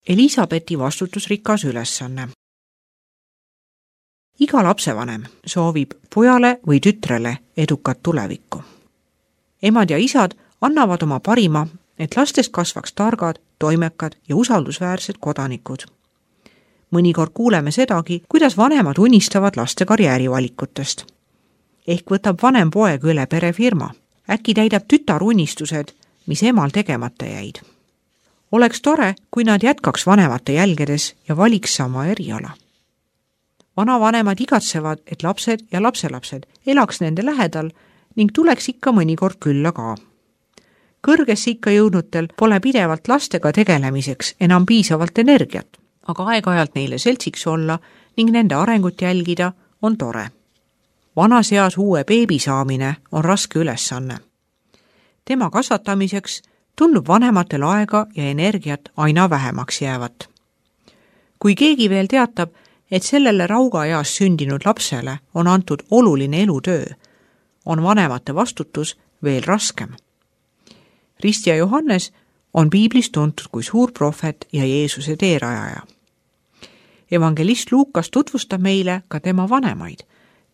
Elisabethi vastutusrikas ülesanne. Iga lapsevanem soovib pojale või tütrele edukat tulevikku. Emad ja isad annavad oma parima, et lastest kasvaks targad, toimekad ja usaldusväärsed kodanikud. Mõnikord kuuleme sedagi, kuidas vanemad unistavad laste karjäärivalikutest. Ehk võtab vanem poeg üle perefirma. Äkki täidab tütar unistused, mis emal tegemata jäid. Oleks tore, kui nad jätkaks vanemate jälgedes ja valiks sama eriala. Vanavanemad igatsevad, et lapsed ja lapselapsed elaks nende lähedal ning tuleks ikka mõnikord külla ka. Kõrgesse ikka jõudnutel pole pidevalt lastega tegelemiseks enam piisavalt energiat, aga aeg-ajalt neile seltsiks olla ning nende arengut jälgida on tore. Vanas eas uue beebi saamine on raske ülesanne. Tema kasvatamiseks tundub vanematel aega ja energiat aina vähemaks jäävat. Kui keegi veel teatab, et sellele raugaeas sündinud lapsele on antud oluline elutöö, on vanemate vastutus veel raskem. Ristja Johannes on piiblis tuntud kui suur prohvet ja Jeesuse teerajaja. Evangelist Luukas tutvustab meile ka tema vanemaid,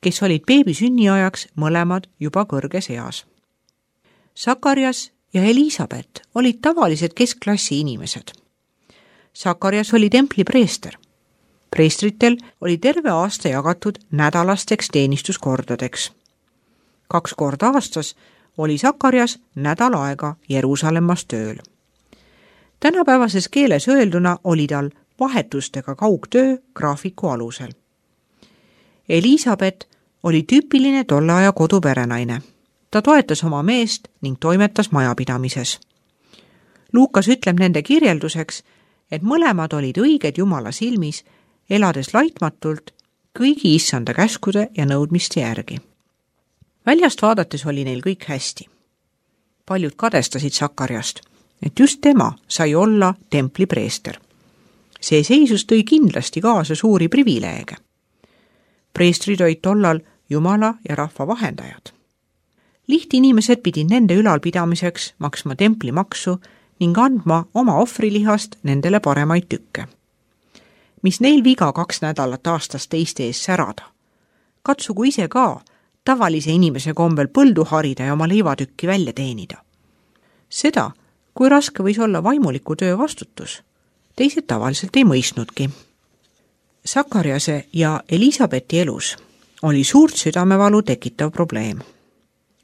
kes olid beebi sünniajaks mõlemad juba kõrges eas. Sakarias ja Elisabet olid tavalised keskklassi inimesed. Sakarias oli templi preester. Preestritel oli terve aasta jagatud nädalasteks teenistuskordadeks. 2 korda aastas oli Sakarias nädal aega Jeruusalemmas tööl. Tänapäevases keeles öelduna oli tal vahetustega kaugtöö graafiku alusel. Elisabet oli tüüpiline tolle aja koduperenaine. Ta toetas oma meest ning toimetas majapidamises. Luukas ütleb nende kirjelduseks, et mõlemad olid õiged Jumala silmis, elades laitmatult kõigi issanda käskude ja nõudmiste järgi. Väljast vaadates oli neil kõik hästi. Paljud kadestasid Sakariast, et just tema sai olla templi preester. See seisus tõi kindlasti kaasa suuri privileege. Preestrid olid tollal Jumala ja rahva vahendajad. Lihtinimesed pidid nende ülalpidamiseks maksma templimaksu ning andma oma ohvrilihast nendele paremaid tükke. Mis neil viga 2 nädalat aastas teiste ees särada. Katsugu ise ka tavalise inimese kombel põldu harida ja oma leivatükki välja teenida. Seda, kui raske võis olla vaimuliku töö vastutus, teised tavaliselt ei mõistnudki. Sakariase ja Elisabethi elus oli suurt südamevalu tekitav probleem.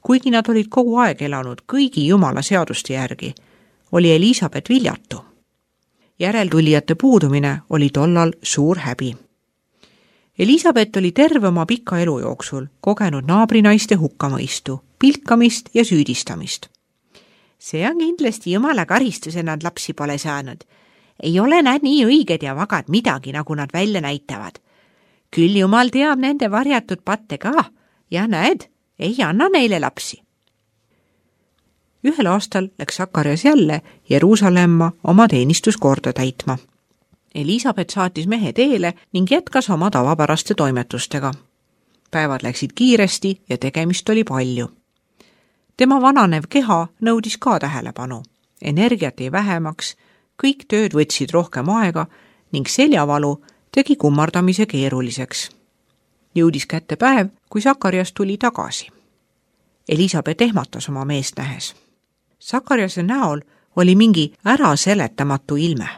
Kuigi nad olid kogu aeg elanud kõigi Jumala seaduste järgi, oli Elisabet viljatu. Järeltulijate puudumine oli tollal suur häbi. Elisabet oli terve oma pika elu jooksul kogenud naabrinaiste hukkamõistu, pilkamist ja süüdistamist. See on kindlasti Jumala karistuse, nad lapsi pole saanud. Ei ole nad nii õiged ja vagad midagi, nagu nad välja näitavad. Küll Jumal teab nende varjatud patte ka ja näed, ei anna neile lapsi. Ühel aastal läks Sakarias jälle Jeruusalemma oma teenistuskorda täitma. Elisabet saatis mehe teele ning jätkas oma tavapäraste toimetustega. Päevad läksid kiiresti ja tegemist oli palju. Tema vananev keha nõudis ka tähelepanu. Energiat ei vähemaks, kõik tööd võtsid rohkem aega ning seljavalu tegi kummardamise keeruliseks. Jõudis kätte päev, kui Sakarias tuli tagasi. Elisabet ehmatas oma meest nähes. Sakariase näol oli mingi äraseletamatu ilme.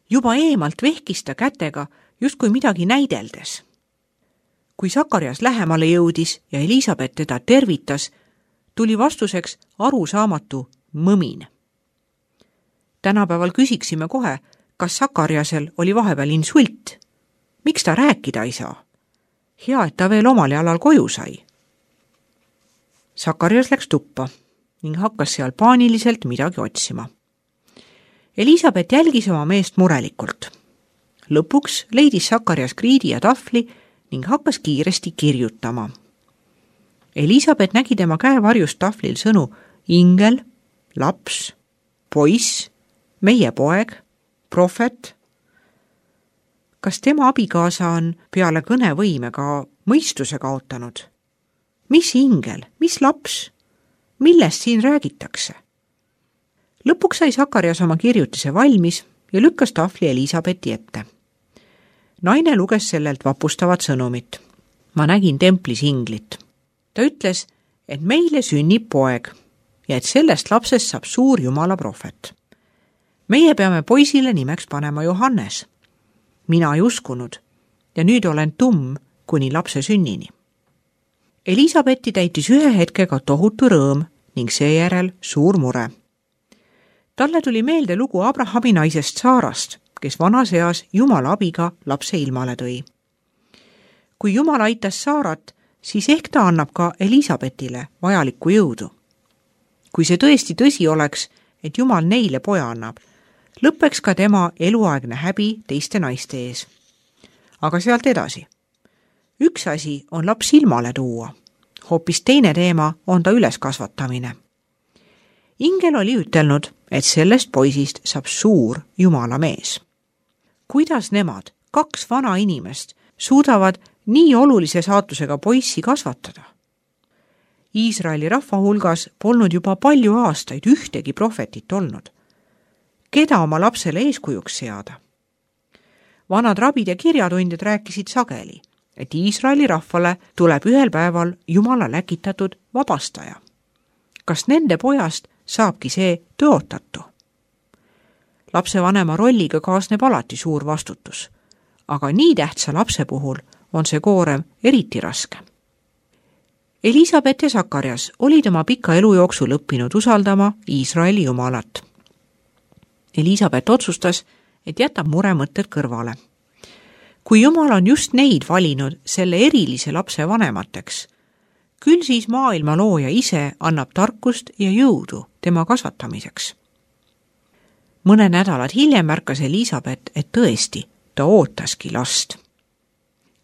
Juba eemalt vehkis ta kätega, justkui midagi näideldes. Kui Sakarias lähemale jõudis ja Elisabet teda tervitas, tuli vastuseks arusaamatu mõmin. Tänapäeval küsiksime kohe, kas Sakariasel oli vahepeal insult. Miks ta rääkida ei saa? Hea, et ta veel omal jalal koju sai. Sakarias läks tuppa ning hakkas seal paaniliselt midagi otsima. Elisabet jälgis oma meest murelikult. Lõpuks leidis Sakarias kriidi ja tahvli ning hakkas kiiresti kirjutama. Elisabet nägi tema käevarjust tahvlil sõnu ingel, laps, poiss, meie poeg, prohvet. Kas tema abikaasa on peale kõnevõime ka mõistuse kaotanud? Mis ingel, mis laps? Millest siin räägitakse? Lõpuks sai Sakarias oma kirjutise valmis ja lükkas tahvli Elisabethi ette. Naine luges sellelt vapustavat sõnumit. Ma nägin templis inglit. Ta ütles, et meile sünnib poeg ja et sellest lapsest saab suur Jumala prohvet. Meie peame poisile nimeks panema Johannes. Mina ei uskunud ja nüüd olen tumm kuni lapse sünnini. Elisabethi täitis ühe hetkega tohutu rõõm ning seejärel suur mure. Talle tuli meelde lugu Abrahami naisest Saarast, kes vanas eas Jumala abiga lapse ilmale tõi. Kui Jumal aitas Saarat, siis ehk ta annab ka Elisabethile vajalikku jõudu. Kui see tõesti tõsi oleks, et Jumal neile poja annab, lõppeks ka tema eluaegne häbi teiste naiste ees. Aga sealt edasi. Üks asi on laps ilmale tuua. Hoopis teine teema on ta üleskasvatamine. Ingel oli ütelnud, et sellest poisist saab suur Jumala mees. Kuidas nemad, 2 vana inimest, suudavad nii olulise saatusega poissi kasvatada? Iisraeli rahva hulgas polnud juba palju aastaid ühtegi prohvetit olnud. Keda oma lapsele eeskujuks seada? Vanad rabid ja kirjatundjad rääkisid sageli, et Iisraeli rahvale tuleb ühel päeval Jumala läkitatud vabastaja. Kas nende pojast saabki see tõotatu? Lapsevanema rolliga kaasneb alati suur vastutus, aga nii tähtsa lapse puhul on see koorem eriti raske. Elisabeth ja Sakarias olid oma pika elu jooksul õppinud usaldama Iisraeli Jumalat. Elisabeth otsustas, et jätab muremõtted kõrvale. Kui Jumal on just neid valinud selle erilise lapse vanemateks, küll siis maailma looja ise annab tarkust ja jõudu tema kasvatamiseks. Mõne nädalad hiljem märkas Elisabeth, et tõesti, ta ootaski last.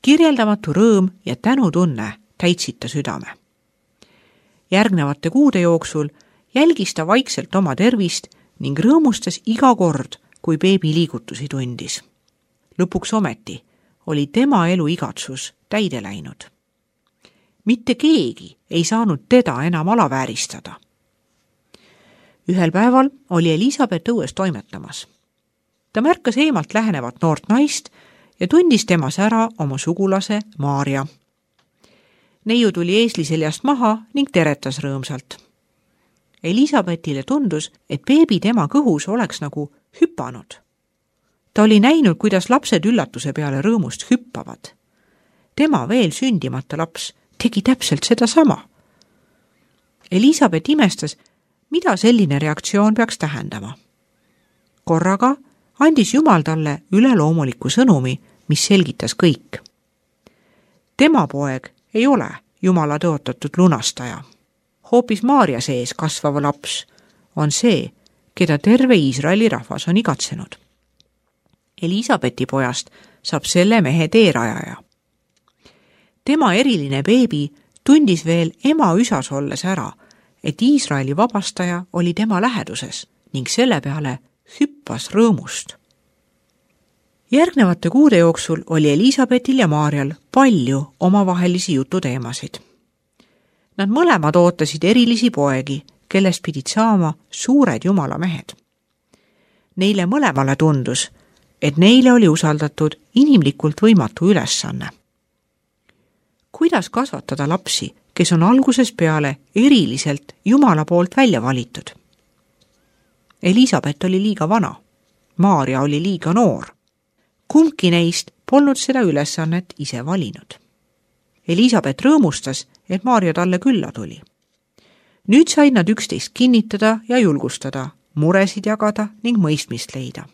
Kirjeldamatu rõõm ja tänutunne täitsid ta südame. Järgnevate kuude jooksul jälgis ta vaikselt oma tervist ning rõõmustas iga kord, kui beebi liigutusi tundis. Lõpuks ometi oli tema elu igatsus täide läinud. Mitte keegi ei saanud teda enam alavääristada. Ühel päeval oli Elisabeth õues toimetamas. Ta märkas eemalt lähenevat noort naist ja tundis temas ära oma sugulase Maarja. Neiu tuli eesli seljast maha ning teretas rõõmsalt. Elisabethile tundus, et beebi tema kõhus oleks nagu hüpanud. Ta oli näinud, kuidas lapsed üllatuse peale rõõmust hüppavad. Tema veel sündimata laps tegi täpselt seda sama. Elisabeth imestas, mida selline reaktsioon peaks tähendama. Korraga andis Jumal talle üleloomuliku sõnumi, mis selgitas kõik. Tema poeg ei ole Jumala tõotatud lunastaja. Hoopis Maarja sees kasvav laps on see, keda terve Iisraeli rahvas on igatsenud. Elisabethi pojast saab selle mehe teerajaja. Tema eriline beebi tundis veel ema üsas olles ära, et Iisraeli vabastaja oli tema läheduses ning selle peale hüppas rõõmust. Järgnevate kuude jooksul oli Elisabethil ja Maarjal palju omavahelisi jututeemasid. Nad mõlemad ootasid erilisi poegi, kellest pidid saama suured Jumala mehed. Neile mõlemale tundus, et neile oli usaldatud inimlikult võimatu ülesanne. Kuidas kasvatada lapsi, kes on alguses peale eriliselt Jumala poolt välja valitud? Elisabeth oli liiga vana, Maarja oli liiga noor. Kumbki neist polnud seda ülesannet ise valinud. Elisabeth rõõmustas, et Maarja talle külla tuli. Nüüd said nad üksteist kinnitada ja julgustada, muresid jagada ning mõistmist leida.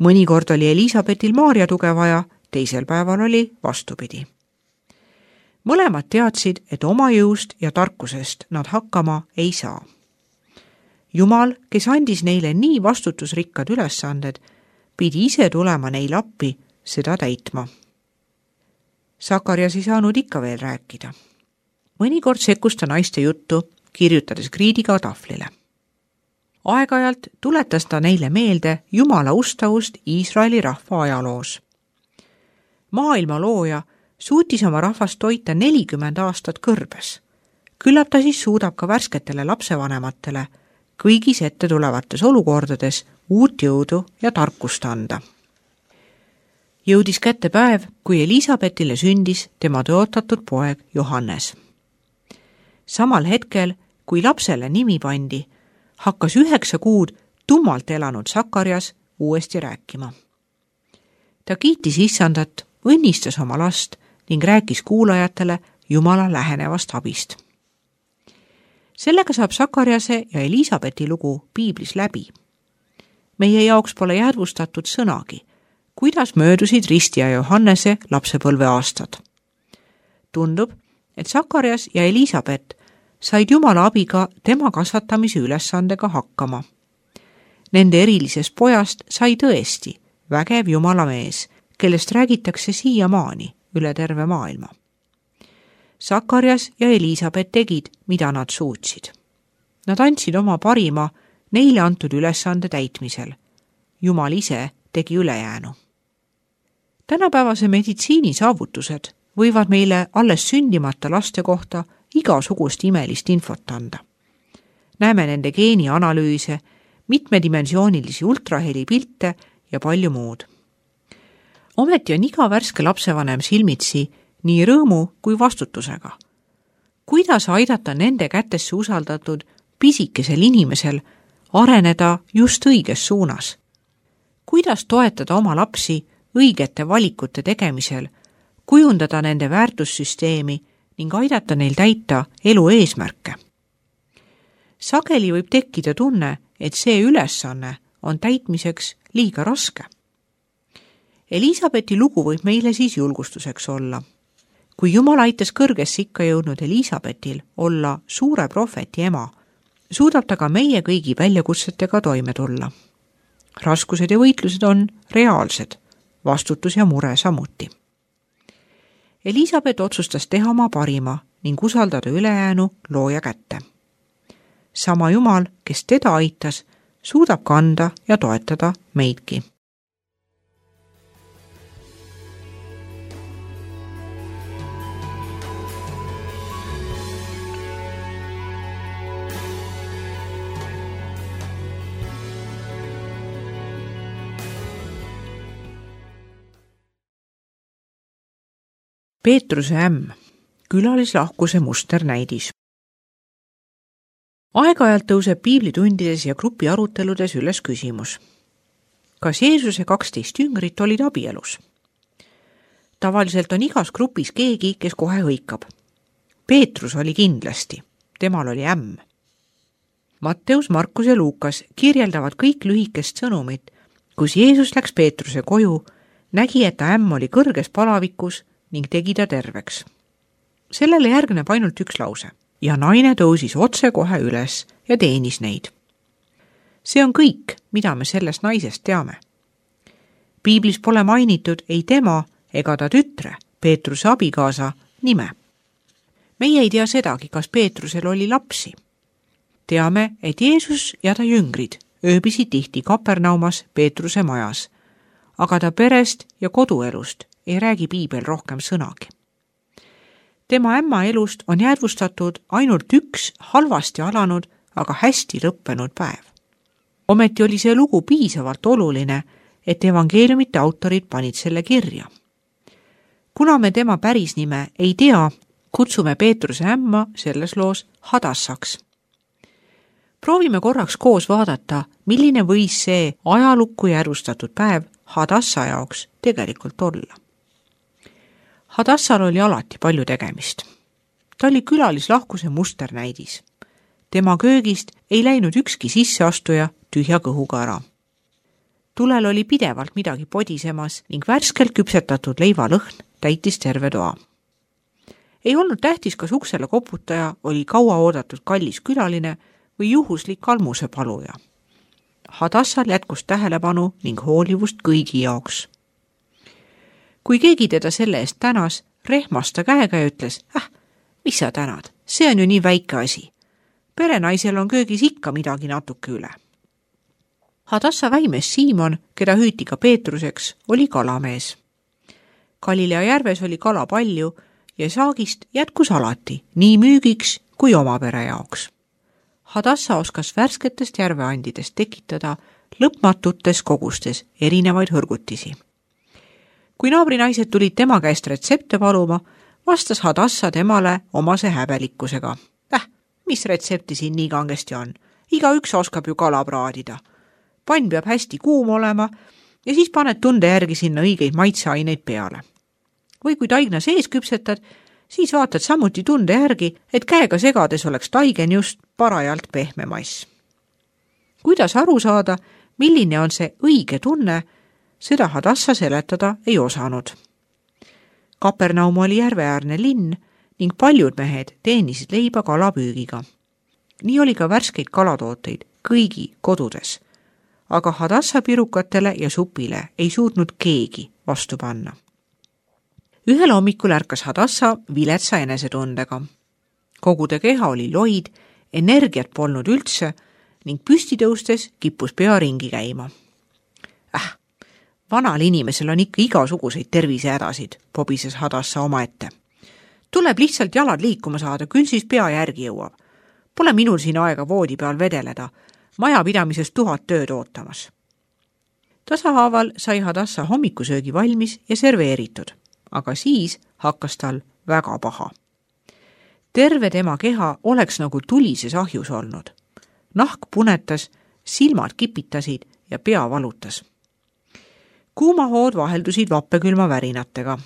Mõnikord oli Elisabethil Maarja tuge vaja, teisel päeval oli vastupidi. Mõlemad teadsid, et oma jõust ja tarkusest nad hakkama ei saa. Jumal, kes andis neile nii vastutusrikkad ülesanded, pidi ise tulema neil appi seda täitma. Sakarias ei saanud ikka veel rääkida. Mõnikord sekkus ta naiste juttu, kirjutades kriidiga tahvlile. Aeg-ajalt tuletas ta neile meelde Jumala ustavust Iisraeli rahva ajaloos. Maailma looja suutis oma rahvast toita 40 aastat kõrbes. Küllap ta siis suudab ka värsketele lapsevanematele kõigis ette tulevates olukordades uut jõudu ja tarkust anda. Jõudis kätte päev, kui Elisabethile sündis tema tõotatud poeg Johannes. Samal hetkel, kui lapsele nimi pandi, hakkas 9 kuud tummalt elanud Sakarias uuesti rääkima. Ta kiitis Issandat, õnnistas oma last ning rääkis kuulajatele Jumala lähenevast abist. Sellega saab Sakariase ja Elisabethi lugu piiblis läbi. Meie jaoks pole jäädvustatud sõnagi, kuidas möödusid Risti ja Johannese lapsepõlve aastad. Tundub, et Sakarias ja Elisabeth said Jumala abiga tema kasvatamise ülesandega hakkama. Nende erilisest pojast sai tõesti vägev Jumala mees, kellest räägitakse siiamaani üle terve maailma. Sakarias ja Elisabeth tegid, mida nad suutsid. Nad andsid oma parima neile antud ülesande täitmisel. Jumal ise tegi ülejäänu. Tänapäevase meditsiini saavutused võivad meile alles sündimata laste kohta igasugust imelist infot anda. Näeme nende geenianalüüse, mitmedimensioonilisi ultrahelipilte ja palju muud. Ometi on iga värske lapsevanem silmitsi nii rõõmu kui vastutusega. Kuidas aidata nende kätesse usaldatud pisikesel inimesel areneda just õiges suunas? Kuidas toetada oma lapsi õigete valikute tegemisel, kujundada nende väärtussüsteemi ning aidata neil täita elu eesmärke? Sageli võib tekkida tunne, et see ülesanne on täitmiseks liiga raske. Elisabethi lugu võib meile siis julgustuseks olla. Kui Jumal aitas kõrgesse ikka jõudnud Elisabethil olla suure prohveti ema, suudab ta ka meie kõigi väljakutsetega toime tulla. Raskused ja võitlused on reaalsed, vastutus ja mure samuti. Elisabeth otsustas teha oma parima ning usaldada ülejäänu looja kätte. Sama Jumal, kes teda aitas, suudab kanda ja toetada meidki. Peetruse ämm, külalislahkuse musternäidis. Aeg-ajalt tõuseb piiblitundides ja grupi aruteludes üles küsimus. Kas Jeesuse 12 jüngrit olid abielus? Tavaliselt on igas grupis keegi, kes kohe hõikab. Peetrus oli kindlasti, temal oli ämm. Matteus, Markus ja Luukas kirjeldavad kõik lühikest sõnumit, kus Jeesus läks Peetruse koju, nägi, et ta ämm oli kõrges palavikus ning tegi ta terveks. Sellele järgneb ainult üks lause ja naine tõusis otse kohe üles ja teenis neid. See on kõik, mida me sellest naisest teame. Piiblis pole mainitud ei tema ega ta tütre, Peetruse abikaasa, nime. Meie ei tea sedagi, kas Peetrusel oli lapsi. Teame, et Jeesus ja ta jüngrid ööbisid tihti Kapernaumas Peetruse majas, aga ta perest ja koduelust ei räägi piibel rohkem sõnagi. Tema ämma elust on jäädvustatud ainult üks halvasti alanud, aga hästi lõppenud päev. Ometi oli see lugu piisavalt oluline, et evangeeliumite autorid panid selle kirja. Kuna me tema päris nime ei tea, kutsume Peetruse ämma selles loos Hadassaks. Proovime korraks koos vaadata, milline võis see ajalukku jäädvustatud päev Hadassa jaoks tegelikult olla. Hadassal oli alati palju tegemist. Ta oli külalislahkuse musternäidis. Tema köögist ei läinud ükski sisseastuja tühja kõhuga ära. Tulel oli pidevalt midagi podisemas ning värskelt küpsetatud leivalõhn täitis terve toa. Ei olnud tähtis, kas uksele koputaja oli kaua oodatud kallis külaline või juhuslik almuse paluja. Hadassal jätkus tähelepanu ning hoolivust kõigi jaoks. Kui keegi teda selle eest tänas, rehmas ta käega ja ütles, mis sa tänad, see on ju nii väike asi. Perenaisel on köögis ikka midagi natuke üle. Hadassa väimees Siimon, keda hüüti ka Peetruseks, oli kalamees. Galilea järves oli kala palju ja saagist jätkus alati, nii müügiks kui oma pere jaoks. Hadassa oskas värsketest järveandidest tekitada lõpmatutes kogustes erinevaid hõrgutisi. Kui naabrinaised tulid tema käest retsepte paluma, vastas Hadassa temale omase häbelikkusega. Mis retsepti siin nii kangesti on? Igaüks oskab ju kala praadida. Pann peab hästi kuum olema ja siis paned tunde järgi sinna õigeid maitseaineid peale. Või kui taigna sees küpsetad, siis vaatad samuti tunde järgi, et käega segades oleks taigen just parajalt pehme mass. Kuidas aru saada, milline on see õige tunne, seda Hadassa seletada ei osanud. Kapernaum oli järveäärne linn ning paljud mehed teenisid leiba kalapüügiga. Nii oli ka värskeid kalatooteid kõigi kodudes, aga Hadassa pirukatele ja supile ei suutnud keegi vastu panna. Ühel hommikul ärkas Hadassa viletsa enesetundega. Kogu ta keha oli loid, energiat polnud üldse ning püsti tõustes kippus pea ringi käima. Vanal inimesel on ikka igasuguseid tervisehädasid, pobises Hadassa omaette. Tuleb lihtsalt jalad liikuma saada, küll siis pea järgi jõuab. Pole minul siin aega voodi peal vedeleda, majapidamises 1000 tööd ootamas. Tasahaaval sai Hadassa hommikusöögi valmis ja serveeritud, aga siis hakkas tal väga paha. Terve tema keha oleks nagu tulises ahjus olnud. Nahk punetas, silmad kipitasid ja pea valutas. Kuumahood vaheldusid vappekülma värinatega.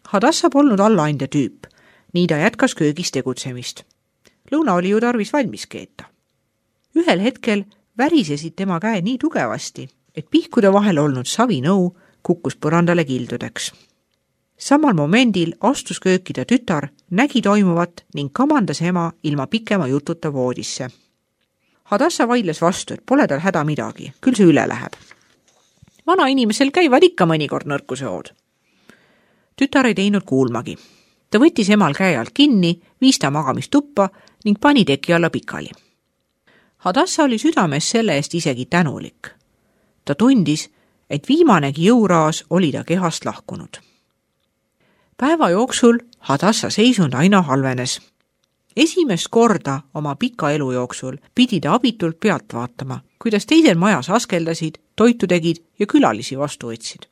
Hadassa polnud allaandja tüüp, nii ta jätkas köögis tegutsemist. Lõuna oli ju tarvis valmis keeta. Ühel hetkel värisesid tema käe nii tugevasti, et pihkude vahel olnud savinõu kukkus põrandale kildudeks. Samal momendil astus kööki ta tütar, nägi toimuvat ning kamandas ema ilma pikema jututa voodisse. Hadassa vaidles vastu, et pole tal häda midagi, küll see üle läheb. Vana inimesel käivad ikka mõnikord nõrkusehood. Tütar ei teinud kuulmagi. Ta võttis emal käe alt kinni, viis ta magamistuppa ning pani teki alla pikali. Hadassa oli südames selle eest isegi tänulik. Ta tundis, et viimanegi jõuraas oli ta kehast lahkunud. Päeva jooksul Hadassa seisund aina halvenes. Esimest korda oma pika elu jooksul pidi ta abitult pealt vaatama, kuidas teised majas askeldasid, toitu tegid ja külalisi vastu võtsid.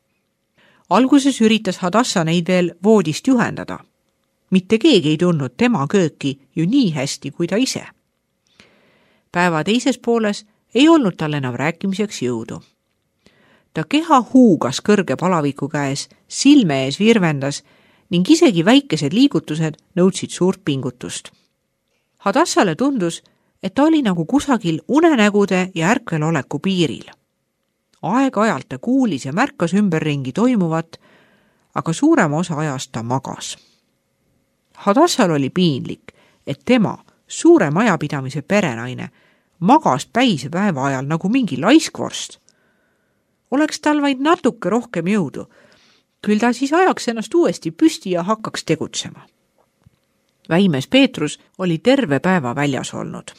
Alguses üritas Hadassa neid veel voodist juhendada. Mitte keegi ei tundnud tema kööki ju nii hästi kui ta ise. Päeva teises pooles ei olnud tal enam rääkimiseks jõudu. Ta keha huugas kõrge palaviku käes, silme ees virvendas ning isegi väikesed liigutused nõudsid suurt pingutust. Hadassale tundus, et ta oli nagu kusagil unenägude ja ärkveloleku piiril. Aeg-ajalt ta kuulis ja märkas ümberringi toimuvat, aga suurema osa ajast ta magas. Hadassal oli piinlik, et tema, suure majapidamise perenaine, magas päise päeva ajal nagu mingi laiskvorst. Oleks tal vaid natuke rohkem jõudu, küll ta siis ajaks ennast uuesti püsti ja hakkaks tegutsema. Väimees Peetrus oli terve päeva väljas olnud.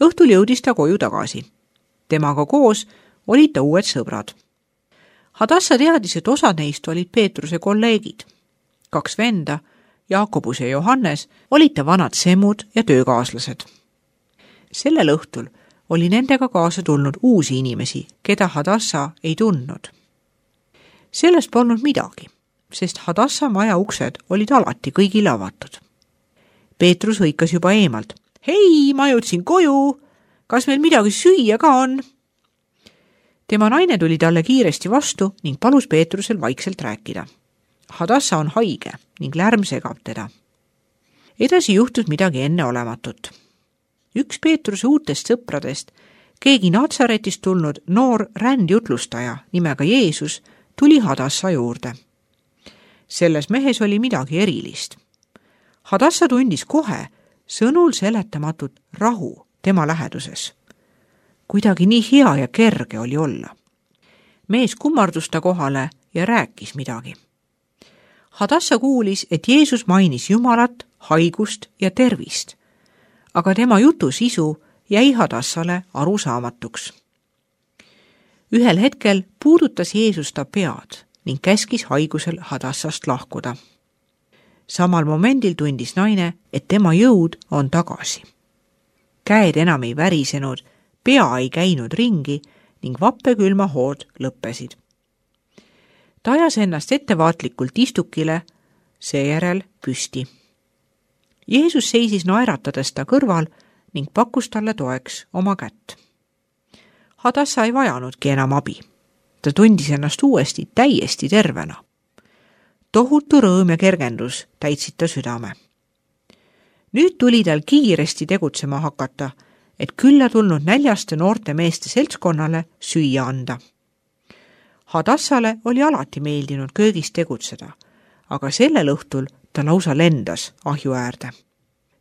Õhtul jõudis ta koju tagasi. Temaga koos olid ta uued sõbrad. Hadassa teadis, et osad neist olid Peetruse kolleegid. 2 venda, Jaakobus ja Johannes, olid ta vanad semmud ja töökaaslased. Sellel õhtul oli nendega kaasa tulnud uusi inimesi, keda Hadassa ei tundnud. Sellest polnud midagi, sest Hadassa maja uksed olid alati kõigile avatud. Peetrus hõikas juba eemalt. Hei, ma jõudsin koju! Kas meil midagi süüa ka on? Tema naine tuli talle kiiresti vastu ning palus Peetrusel vaikselt rääkida. Hadassa on haige ning lärm segab teda. Edasi juhtus midagi enneolematut. Üks Peetruse uutest sõpradest, keegi Natsaretist tulnud noor rändjutlustaja nimega Jeesus, tuli Hadassa juurde. Selles mehes oli midagi erilist. Hadassa tundis kohe sõnul seletamatut rahu tema läheduses. Kuidagi nii hea ja kerge oli olla. Mees kummardus ta kohale ja rääkis midagi. Hadassa kuulis, et Jeesus mainis Jumalat, haigust ja tervist, aga tema jutu sisu jäi Hadassale arusaamatuks. Ühel hetkel puudutas Jeesus ta pead ning käskis haigusel Hadassast lahkuda. Samal momendil tundis naine, et tema jõud on tagasi. käed enam ei värisenud, pea ei käinud ringi ning vappekülma hood lõppesid. Ta ajas ennast ettevaatlikult istukile, seejärel püsti. Jeesus seisis naeratades ta kõrval ning pakkus talle toeks oma kätt. Hadassa ei vajanudki enam abi. Ta tundis ennast uuesti täiesti tervena. Tohutu rõõm ja kergendus täitsid ta südame. Nüüd tuli tal kiiresti tegutsema hakata, et külla tulnud näljaste noorte meeste seltskonnale süüa anda. Hadassale oli alati meeldinud köögis tegutseda, aga sellel õhtul ta lausa lendas ahju äärde.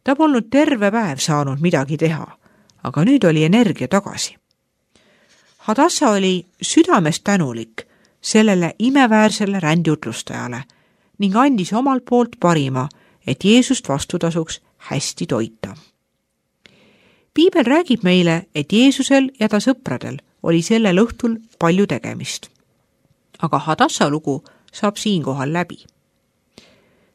Ta polnud terve päev saanud midagi teha, aga nüüd oli energia tagasi. Hadassa oli südamest tänulik sellele imeväärsele rändjutlustajale ning andis omalt poolt parima, et Jeesust vastutasuks hästi toita. Piibel räägib meile, et Jeesusel ja ta sõpradel oli sellel õhtul palju tegemist. Aga Hadassa lugu saab siinkohal läbi.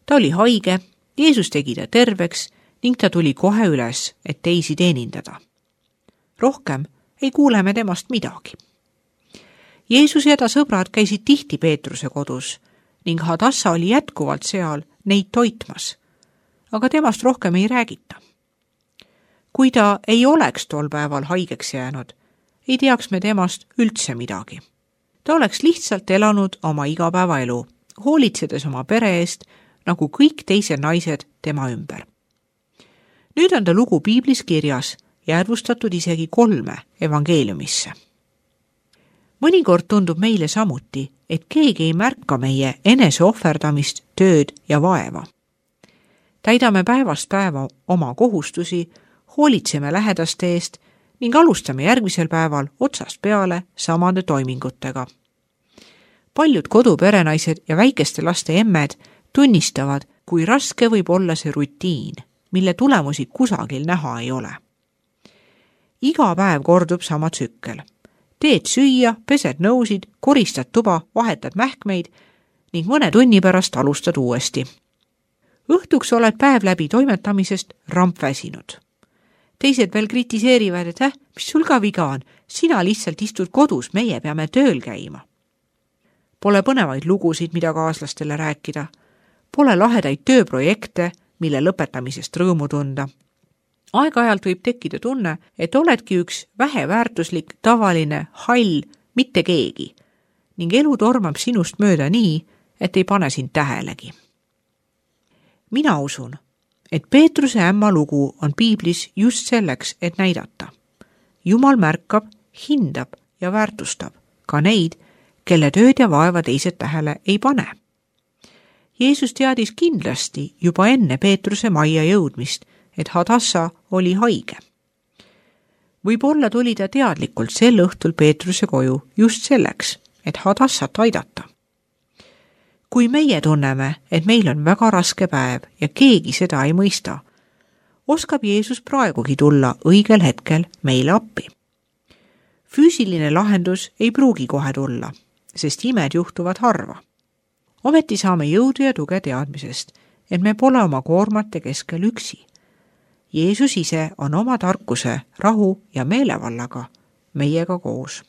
Ta oli haige, Jeesus tegi ta terveks ning ta tuli kohe üles, et teisi teenindada. Rohkem ei kuule me temast midagi. Jeesus ja ta sõbrad käisid tihti Peetruse kodus ning Hadassa oli jätkuvalt seal neid toitmas, aga temast rohkem ei räägita. Kui ta ei oleks tol päeval haigeks jäänud, ei teaks me temast üldse midagi. Ta oleks lihtsalt elanud oma igapäevaelu, hoolitsedes oma pere eest, nagu kõik teised naised tema ümber. Nüüd on ta lugu piiblis kirjas ja arvustatud isegi 3 evangeeliumisse. Mõnikord tundub meile samuti, et keegi ei märka meie eneseohverdamist, tööd ja vaeva. Täidame päevast päeva oma kohustusi, hoolitseme lähedaste eest ning alustame järgmisel päeval otsast peale samade toimingutega. Paljud koduperenaised ja väikeste laste emmed tunnistavad, kui raske võib olla see rutiin, mille tulemusi kusagil näha ei ole. Iga päev kordub sama tsükkel. Teed süüa, pesed nõusid, koristad tuba, vahetad mähkmeid ning mõne tunni pärast alustad uuesti. Õhtuks oled päev läbi toimetamisest rampväsinud. Teised veel kritiseerivad, et mis sul ka viga on, sina lihtsalt istud kodus, meie peame tööl käima. Pole põnevaid lugusid, mida kaaslastele rääkida. Pole lahedaid tööprojekte, mille lõpetamisest rõõmu tunda. Aeg-ajalt võib tekkida tunne, et oledki üks väheväärtuslik, tavaline, hall, mitte keegi ning elu tormab sinust mööda nii, et ei pane sind tähelegi. Mina usun, et Peetruse ämma lugu on piiblis just selleks, et näidata. Jumal märkab, hindab ja väärtustab ka neid, kelle tööd ja vaeva teised tähele ei pane. Jeesus teadis kindlasti juba enne Peetruse majja jõudmist, et Hadassa oli haige. Võib-olla tuli ta teadlikult sel õhtul Peetruse koju just selleks, et Hadassat aidata. Kui meie tunneme, et meil on väga raske päev ja keegi seda ei mõista, oskab Jeesus praegugi tulla õigel hetkel meile appi. Füüsiline lahendus ei pruugi kohe tulla, sest imed juhtuvad harva. Ometi saame jõudu ja tuge teadmisest, et me pole oma koormate keskel üksi. Jeesus ise on oma tarkuse, rahu ja meelevallaga meiega koos.